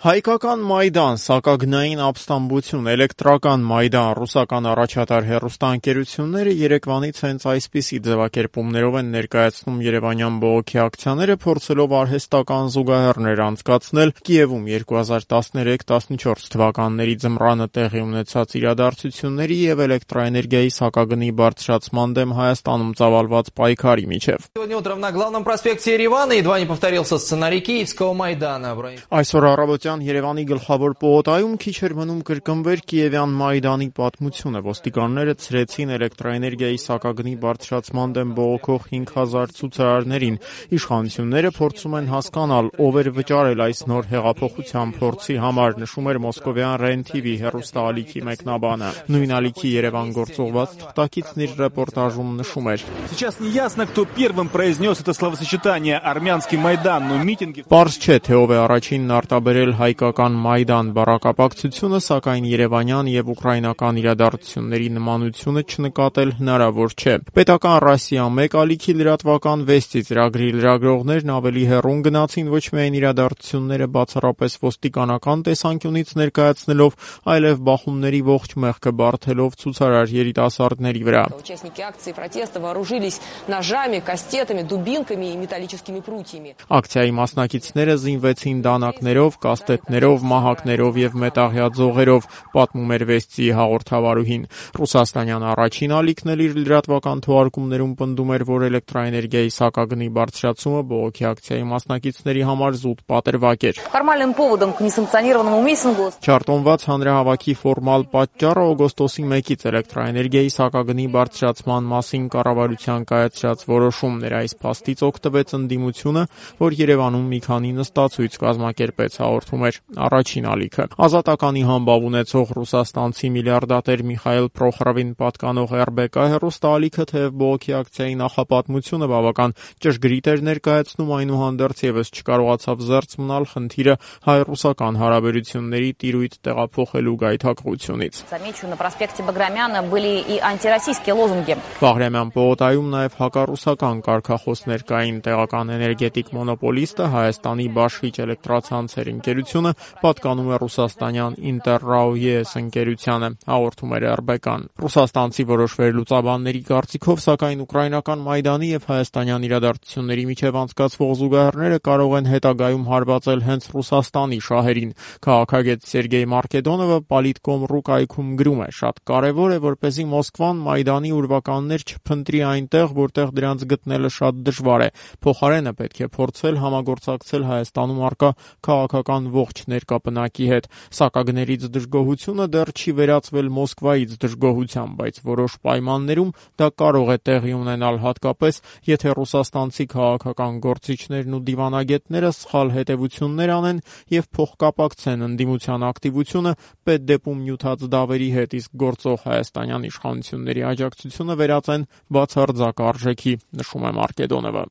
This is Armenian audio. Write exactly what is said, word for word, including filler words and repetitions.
Հայկական Մայդան, սակագնային ապստամբություն, էլեկտրական Մայդան, ռուսական առաջատար հեռուստաընկերությունները երեկվանից հենց այսպիսի ձևակերպումներով են ներկայացնում երևանյան բողոքի ակցիաները, փորձելով արհեստական զուգահեռներ անցկացնել Կիևում երկու հազար տասներեք տասնչորս թվականների ձմռանը տեղի ունեցած իրադարձությունների եւ էլեկտրաէներգիայի սակագնի բարձրացման դեմ Հայաստանում ծավալված պայքարի միջև։ Сегодня утром на главном проспекте Еревана едва не повторился сценарий Киевского Майдана. Այսօր առավոտյան Երևանի գլխավոր պողոտայում քիչ էր մնում կրկնվեր Կիևյան Մայդանի պատմությունը։ Ոստիկանները ցրեցին էլեկտրաէներգիայի սակագնի բարձրացման դեմ բողոքող հինգ հազար ցուցարարներին։ Իշխանությունները փորձում են հասկանալ, ով էր վճարել այս նոր հեղափոխության փորձի համար, նշում էր մոսկովյան REN-TV հեռուստաալիքի մեկնաբանը։ Նույն ալիքի Երևան գործողված թղթակիցն իր ռեպորտաժում նշում էր. Сейчас не ясно, кто первым произнес это словосочетание армянский Майдан, но митинги. Պարզ չէ, թե ով է առաջինն արտաբերել հայկական Մայդան բառակապակցությունը, սակայն երևանյան եւ ուկրաինական իրադարձությունների նմանությունը չնկատել հնարավոր չէ։ Պետական Ռասիա մեկ ալիքի լրատվական վեստի ծրագրի լրագրողներն ավելի հեռուն գնացին ոչ միայն իրադարձությունները բացառապես ոստիկանական տեսանկյունից ներկայացնելով, այլև բախումների ողջ մեղքը բարթելով ցուցարար երիտասարդների վրա։ Участники акции протеста вооружились ножами, кастетами, дубинками и металлическими прутьями. Ակցիայի մասնակիցները զինվեցին դանակներով, կաստետներով, մահակներով եւ մետաղյա ձողերով, պատմում էր վեստի հաղորդավարուհին։ Ռուսաստանյան առաջին ալիքն էլ իր լրատվական թողարկումներում պնդում էր, որ էլեկտրաէներգիայի սակագնի բարձրացումը բողոքի ակցիայի մասնակիցների համար զուտ պատրվակ էր։ Формальным поводом к несанкционированному митингу Չարտոնված հանրահավաքի ֆորմալ պատճառը օգոստոսի մեկից էլեկտրաէներգիայի սակագնի բարձրացման մասին կառավարության կայացրած որոշումն էր։ Այս փաստից օգտվեց ընդդիմությունը, որ Երևանում մի քանի նստածույց կազմակերպեց, հաղորդում էր առաջին ալիքը։ Ազատականի համբավ ունեցող ռուսաստանցի միլիարդատեր Միխայել Պրոխորովին պատկանող R B K հեռուստաալիքը թեև բողոքի ակցիայի նախապատմությունը բավական ճշգրիտ էր ներկայացնում, այնուհանդերձ եւս չկարողացավ զերծ մնալ խնդիրը հայ-ռուսական հարաբերությունների տիրույթ տեղափոխելու գայթակղությունից։ Замечу, на проспекте Баграмяна были и антироссийские лозунги. Բաղրամյան պողոտայում նաև հակառուսական կարգախոսներ կային։ Տեղական էներգետիկ մոնոպոլիստը Հայաստանի Բաշխիչ էլեկտրացանցեր ընկերությունը պատկանում է ռուսաստանյան Interraoyes ընկերությանը, հաղորդում էր R B K-ն։ Ռուսաստանցի որոշ վերլուծաբանների կարծիքով, սակայն ուկրաինական Մայդանի եւ հայաստանյան իրադարձությունների միջև անցկացվող զուգահեռները կարող են հետագայում հարվածել հենց Ռուսաստանի շահերին։ Քաղաքագետ Սերգեյ Մարկեդոնովը Politcom.ru կայքում գրում է. շատ կարևոր է, որպեսզի Մոսկվան Մայդանի ուրվականներ չփնտրի այնտեղ, որտեղ դրանց գտնելը շատ դժվար է։ Փոխարենը պետք է փորձել համագործակցել Հայաստանում առկա քաղաքական ողջ ներկապնակի հետ։ Սակագներից դժգոհությունը դեռ չի վերածվել Մոսկվայից դժգոհության, բայց որոշ պայմաններում դա կարող է տեղի ունենալ, հատկապես եթե ռուսաստանցի քաղաքական գործիչներն ու դիվանագետները սխալ հետևություններ անեն եւ փոխկապակցեն ընդդիմության ակտիվությունը պետդեպում նյութած դավերի հետ, իսկ գործող հայաստանյան իշխանությունների աջակցությունը վերածեն բացարձակ արժեքի, նշում է Մարկեդոնովը։